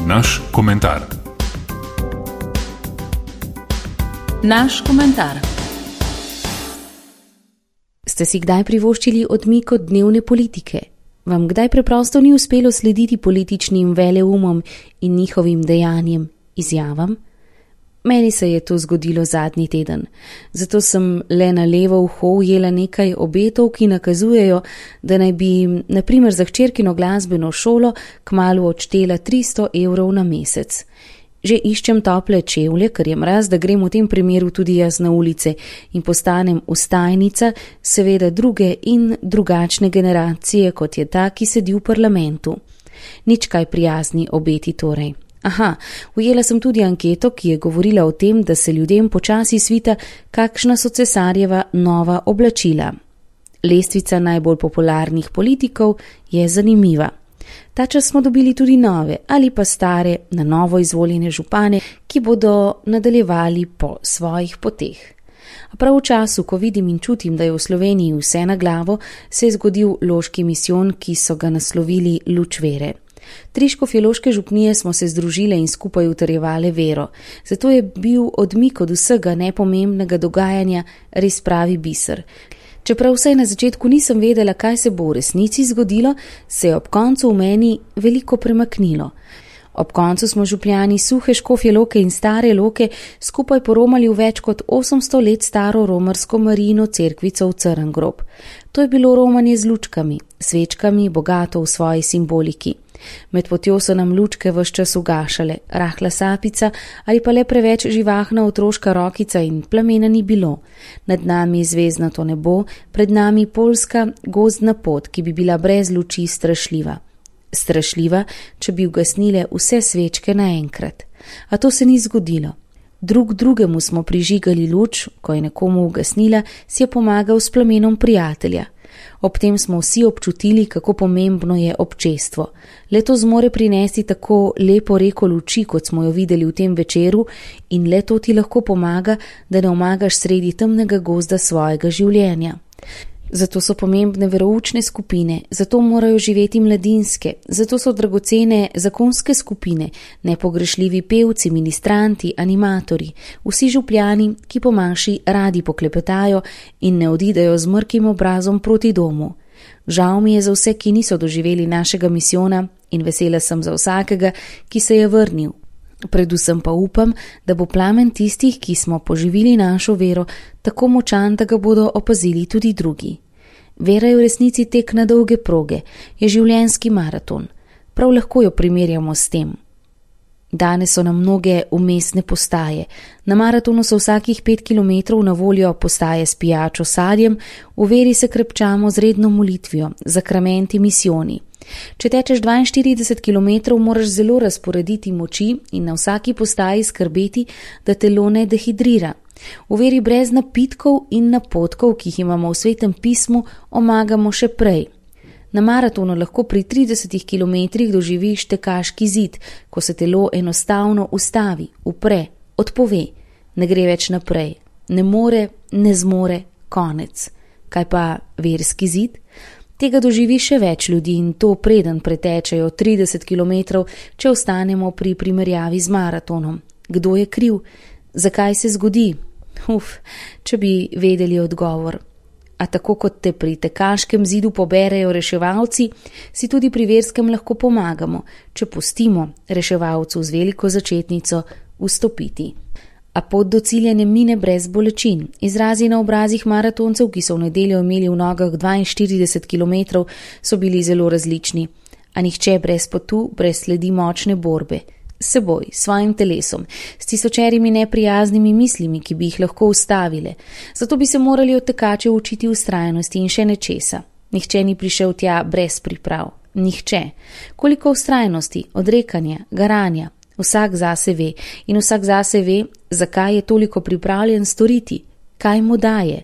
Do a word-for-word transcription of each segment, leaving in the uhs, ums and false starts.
Naš komentar. Naš komentar. Ste si kdaj privoščili odmik od dnevne politike? Vam kdaj preprosto ni uspelo slediti političnim veleumom in njihovim dejanjem, izjavam? Meni se je to zgodilo zadnji teden, zato sem le na levo uho ujela nekaj obetov, ki nakazujejo, da naj bi, na primer za hčerkino glasbeno šolo, kmalu odštela tristo evrov na mesec. Že iščem tople čevlje, ker je mraz, da grem v tem primeru tudi jaz na ulice in postanem vstajnica, seveda druge in drugačne generacije, kot je ta, ki sedi v parlamentu. Nič kaj prijazni obeti torej. Aha, ujela sem tudi anketo, ki je govorila o tem, da se ljudem počasi svita, kakšna so cesarjeva nova oblačila. Lestvica najbolj popularnih politikov je zanimiva. Ta čas smo dobili tudi nove ali pa stare, na novo izvoljene župane, ki bodo nadaljevali po svojih poteh. A prav v času, ko vidim in čutim, da je v Sloveniji vse na glavo, se je zgodil loški misijon, ki so ga naslovili Luč vere. Tri škofjeloške župnije smo se združile in skupaj utrjevale vero, zato je bil odmik od vsega nepomembnega dogajanja res pravi biser. Čeprav vsaj na začetku nisem vedela, kaj se bo v resnici zgodilo, se je ob koncu v meni veliko premaknilo. Ob koncu smo župljani suhe škofjeloke in stare loke skupaj poromali v več kot osemsto let staro romarsko Marijino cerkvico v Crngrob. To je bilo romanje z lučkami, svečkami, bogato v svoji simboliki. Med potjo so nam lučke ves čas ugašale, rahla sapica ali pa le preveč živahna otroška rokica in plamena ni bilo. Nad nami zvezdnato nebo, pred nami poljska gozdna pot, ki bi bila brez luči strašljiva. Strašljiva, če bi ugasnile vse svečke naenkrat. A to se ni zgodilo. Drug drugemu smo prižigali luč, ko je nekomu ugasnila, si je pomagal s plamenom prijatelja. Ob tem smo vsi občutili, kako pomembno je občestvo. Le to zmore prinesti tako lepo reko luči, kot smo jo videli v tem večeru, in le to ti lahko pomaga, da ne omagaš sredi temnega gozda svojega življenja. Zato so pomembne veroučne skupine, zato morajo živeti mladinske, zato so dragocene zakonske skupine, nepogrešljivi pevci, ministranti, animatorji, vsi župljani, ki po maši radi poklepetajo in ne odidejo z mrkim obrazom proti domu. Žal mi je za vse, ki niso doživeli našega misijona, in vesela sem za vsakega, ki se je vrnil. Predvsem pa upam, da bo plamen tistih, ki smo poživili našo vero, tako močan, da ga bodo opazili tudi drugi. Vera je v resnici tek na dolge proge, je življenjski maraton. Prav lahko jo primerjamo s tem. Danes so nam mnoge umestne postaje. Na maratonu so vsakih pet kilometrov na voljo postaje s pijačo sadjem, v veri se krepčamo z redno molitvijo, zakramenti, misijoni. Če tečeš dvainštirideset kilometrov, moraš zelo razporediti moči in na vsaki postaji skrbeti, da telo ne dehidrira. V veri brez napitkov in napotkov, ki jih imamo v Svetem pismu, omagamo še prej. Na maratonu lahko pri tridesetih kilometrih doživiš tekaški zid, ko se telo enostavno ustavi, upre, odpove, ne gre več naprej. Ne more, ne zmore, konec. Kaj pa verski zid? Tega doživi še več ljudi in to preden pretečejo trideset kilometrov, če ostanemo pri primerjavi z maratonom. Kdo je kriv? Zakaj se zgodi? Uf, če bi vedeli odgovor. A tako kot te pri tekaškem zidu poberejo reševalci, si tudi pri verskem lahko pomagamo, če pustimo reševalcu z veliko začetnico vstopiti. A pot do cilja ne mine brez bolečin. Izrazi na obrazih maratoncev, ki so v nedeljo imeli v nogah dvainštirideset kilometrov, so bili zelo različni. A nihče brez potu, brez sledi močne borbe. S seboj, svojim telesom, s tisočerimi neprijaznimi mislimi, ki bi jih lahko ustavile. Zato bi se morali od tekačev učiti vztrajnosti in še nečesa. Nihče ni prišel tja brez priprav. Nihče. Koliko vztrajnosti, odrekanja, garanja. Vsak zase ve in vsak zase ve, zakaj je toliko pripravljen storiti, kaj mu daje.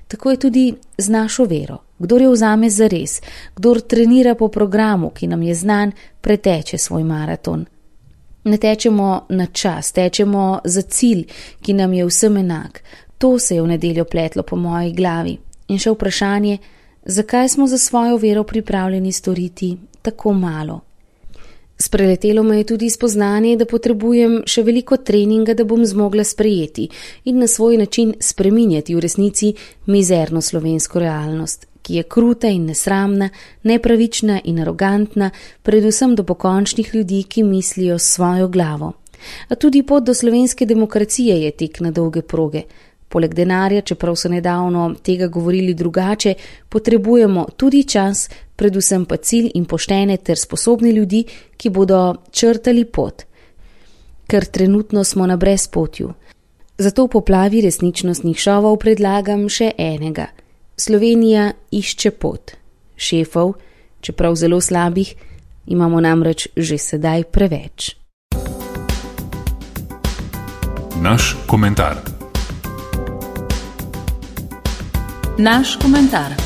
Tako je tudi z našo vero. Kdor jo vzame zares, kdor trenira po programu, ki nam je znan, preteče svoj maraton. Ne tečemo na čas, tečemo za cilj, ki nam je vsem enak. To se je v nedeljo pletlo po moji glavi. In še vprašanje, zakaj smo za svojo vero pripravljeni storiti tako malo? Spreletelo me je tudi spoznanje, da potrebujem še veliko treninga, da bom zmogla sprejeti in na svoj način spreminjati v resnici mizerno slovensko realnost, ki je kruta in nesramna, nepravična in arogantna, predvsem do pokončnih ljudi, ki mislijo s svojo glavo. A tudi pot do slovenske demokracije je tek na dolge proge. Poleg denarja, čeprav so nedavno tega govorili drugače, potrebujemo tudi čas, predvsem pa cilj in poštene ter sposobni ljudi, ki bodo črtali pot. Ker trenutno smo na brezpotju. Zato v poplavi resničnostnih šovov predlagam še enega. Slovenija išče pot. Šefov, čeprav zelo slabih, imamo namreč že sedaj preveč. Naš komentar. Naš komentar.